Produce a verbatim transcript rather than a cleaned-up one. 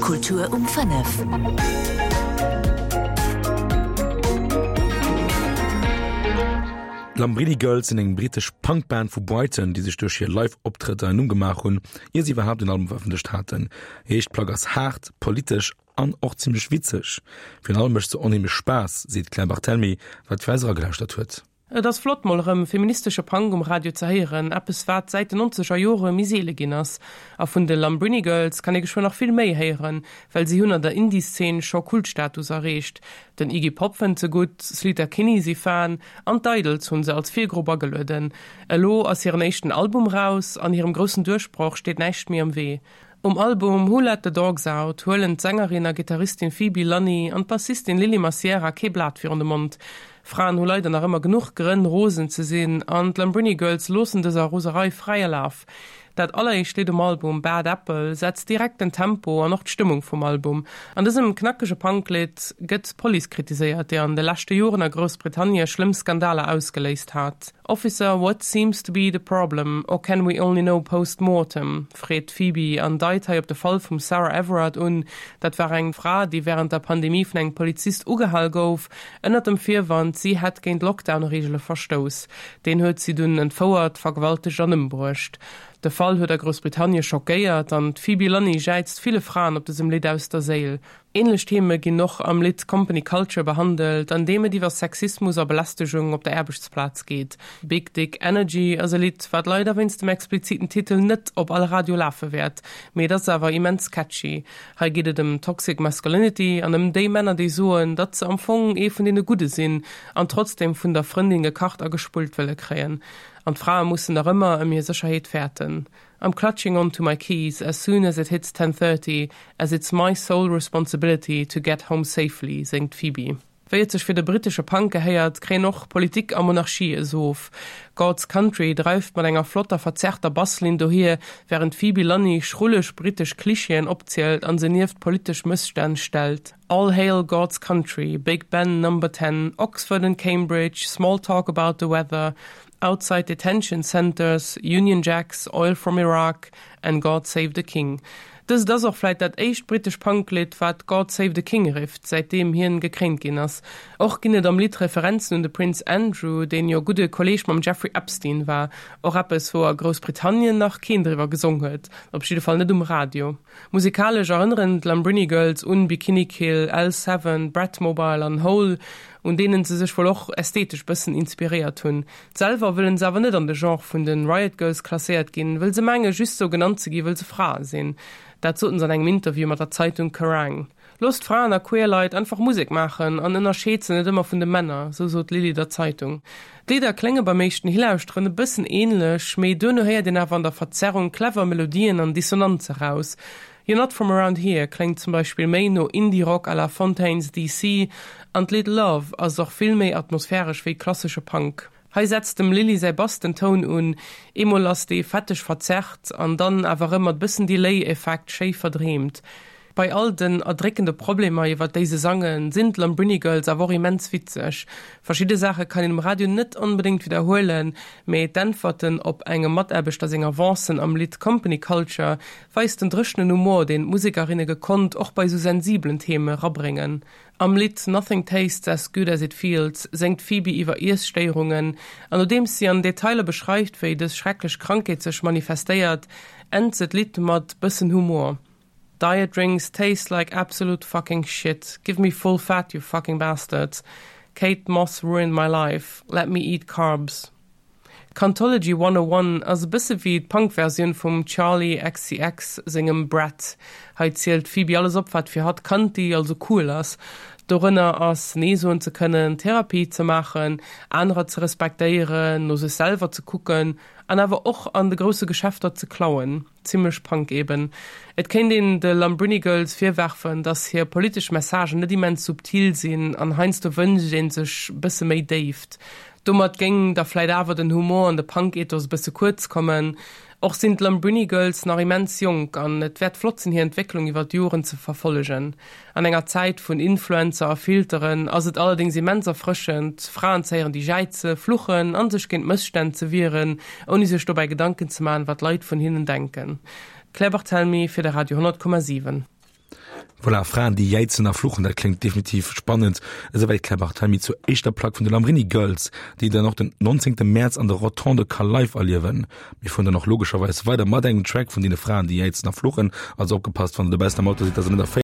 Kultur um fënnef. D'Lambrini Girls sinn eng brittesch Punkband vu Brighton, déi sech duerch hir Live-Optrëtter en Numm gemaach hunn, ier si iwwerhaapt en Album verëffentlecht haten. Hir éischt Plack ass haart, politesch an och zimmlech witzeg. Virun allem mécht se onheemlech Spaass, seet d'Claire Barthelmy, wat fir eis eragelauschtert huet. Et ass flott mol erëm feministesche Punk um Radio ze héieren, eppes wat säit den nonzeger Jore méi seele ginn ass. A vun de Lambrini Girls kann ee geschwënn nach vill méi héieren, well si hunn an der Indie-Szene scho Kultstatus erreecht. Den Iggy Pop fënnt se gutt, Sleater Kinney si Fan an d'Idles hunn se als Virgrupp agelueden. Elo ass hiren éischten Album raus an hirem groussen Duerchbroch steet näischt méi am Wee. Um Album Who Let the Dogs Out huelen d'Sängerin a Gittaristin Phoebe Lunny an d'Bassistin Lilly Macieira kee Blat virun de Mond. Fraen hu leider nach ëmmer genuch Grënn rosen ze sinn an d'Lambrini Girls loossen dëser Roserei fräie Laf. Dat alleréischt Lidd um Album Bad Apple setzt direkt den Tempo an och d'Stëmmung vum Album. An dësem knackege Punklidd gëtt d'Police kritiséiert, déi an de leschte Joren a Groussbritannie schlëmm Skandaler ausgeléist hat. Officer, what seems to be the problem or can we only know post-mortem? freet d'Phoebe an deit hei op de Fall vum Sarah Everard un. Dat war eng Fra, déi wärend der Pandemie vun engem Polizist ugehal gouf, ënnert dem Virwand, si hätt géint Lockdown-Reegele verstouss. Deen huet si dunn entfouert, vergewaltegt an ëmbruecht. De Fall huet a Groussbritannie schockéiert an d'Phoebe Lunny jäizt ville Fraen op dësem Lidd aus der Séil. Änlech Theme ginn och am Lidd Company Culture behandelt, an deem et iwwer Sexismus a Belästegung op der Aarbechtsplaz geet. Big Dick Energy ass e Lidd, wat leider wéinst dem expliziten Titel net op all Radio lafe wäert, mee et ass awer immens catchy. Hei geet et ëm Toxic Masculinity an ëm déi Männer, déi soen, datt se am Fong ee vun deene Gudde sinn an trotzdeem vun der Frëndin gekacht a gespullt wëlle kréien. An d'Frae mussen nach ëmmer ëm hir Sécherheet fäerten. I'm clutching onto my keys as soon as it hits ten thirty, as it's my sole responsibility to get home safely, séngt d'Phoebe. Wéi et sech fir de brittesche Punk gehéiert, kréien och Politik a Monarchie e Sof. God's Country dreift mat enger flotter, verzerrter Basslinn dohier, wärend d'Phoebe Lunny schrulleg brittesch Klischeeën opzielt an se nieft politesch Mësstänn stellt. All hail God's country, Big Ben, Number Ten, Oxford and Cambridge, small talk about the weather, outside detention centres, Union Jacks, oil from Iraq and God save the King. Dëst ass och vläit dat éischt brittesch Punklidd, wat God save the King rifft, säitdeem hien gekréint ginn ass. Och ginn et am Lidd Referenzen un de Prince Andrew, deen jo gudde Kolleeg mam Jeffrey Epstein war. Och eppes, wou a Groussbritannien nach keen driwwer gesong huet, op jidde Fall net um Radio. Musikalesch erënneren d'Lambrini Girls un Bikini Kill, L Seven, Bratmobile an Hole, un deenen se sech wuel och ästhetesch bëssen inspiréiert hunn. Selwer wëllen se awer net an de Genre vun de Riot Girls klasséiert ginn, wëll se menge just sou genannt ze gi wëll se Frae sinn. Dat soten se an engem Interview mat der Zeitung Kerrang! Loosst Fraen a queer Leit einfach Musek maachen an ënnerscheet se net ëmmer vun de Männer, sou sot d'Lilly der Zeitung. D'Lidder klénge beim éischten Hilauschteren e bëssen änlech, mee duerno héiert een awer an der Verzerrung clever Melodien an Dissonanze raus. You're Not From Around Here kléngt zum Beispill méi no Indie-Rock à la Fontaines DC an d'Lidd Love ass och vill méi atmosphäresch wéi klassesche Punk. Hei setzt dem Lilly säi Bass den Toun un, eemol ass dee fetteg verzerrt an dann awer rëm mat bëssen Delay-Effekt schéi verdreemt. Bei all den erdréckende Problemer iwwer déi se sangen, sinn d'Lambrini Girls awer och immens witzeg. Verschidde Saache kann een um Radio net onbedéngt widderhuelen, mee d'Äntwerten op engem Mataarbechter seng Avancen am Lidd Company Culture weist den dréchenen Humor, deen d'Musekerinne gekonnt och bei sou sensibelen Theme rabréngen. Am Lidd Nothing Tastes As Good As It Feels séngt d'Phoebe iwwer Iesstéierungen an nodeems si an Detailer beschreift, wéi dës schrecklech Krankheet sech manifestéiert, ennt se d'Lidd mat bëssen Humor. Diet drinks taste like absolute fucking shit, give me full fat you fucking bastards, Kate Moss ruined my life, let me eat carbs. Cuntology one oh one ass e bësse wéi d'Punk-Versioun vum Charli XCX sengem Brat. Hei zielt d'Phoebe alles op, wat fir hatt cunty, also cool ass. Dorënner ass, Nee soen ze kënnen, Therapie ze maachen, anerer ze respektéieren, no sech selwer ze kucken an awer och an de grousse Geschäfter ze klauen. Zimmlech Punk eben. Et kéint een de Lambrini Girls virwerfen, dass hir politesch Messagen net immens subtil sinn an heiansdo wënscht een sech bësse méi Déift. Domat géing da vläit awer den Humor an de Punk-Ethos e bësse kuerz kommen. Och sinn d'Lambrini Girls nach immens jonk an et wäert flott sinn hir Entwécklung iwwer d'Joren ze verfollegen. An enger Zäit vun Influencer a Filteren ass et allerdéngs immens erfrëschend, Fraen ze héieren déi jäize, fluchen an sech géint Mësstänn ze wieren, ouni sech dobäi Gedanken ze maachen, wat d'Leit vun hinnen denken. Claire Barthelmy fir de Radio honnert Komma siwen. Voilà, Fraen déi jäizen a fluchen, dat kléngt definitiv spannend. Esouwäit d'Claire Barthelmy zur éischter Plack vun de Lambrini Girls, déi dann och den nonzéngte Mäerz an der Rotonde ka live erliewen. Mir fueren dann och logescherweis weider mat engem Track vun deene Fraen déi jäizen a fluchen. Also opgepasst, wann der dobaussen am Auto sidd, dass der net erféiert.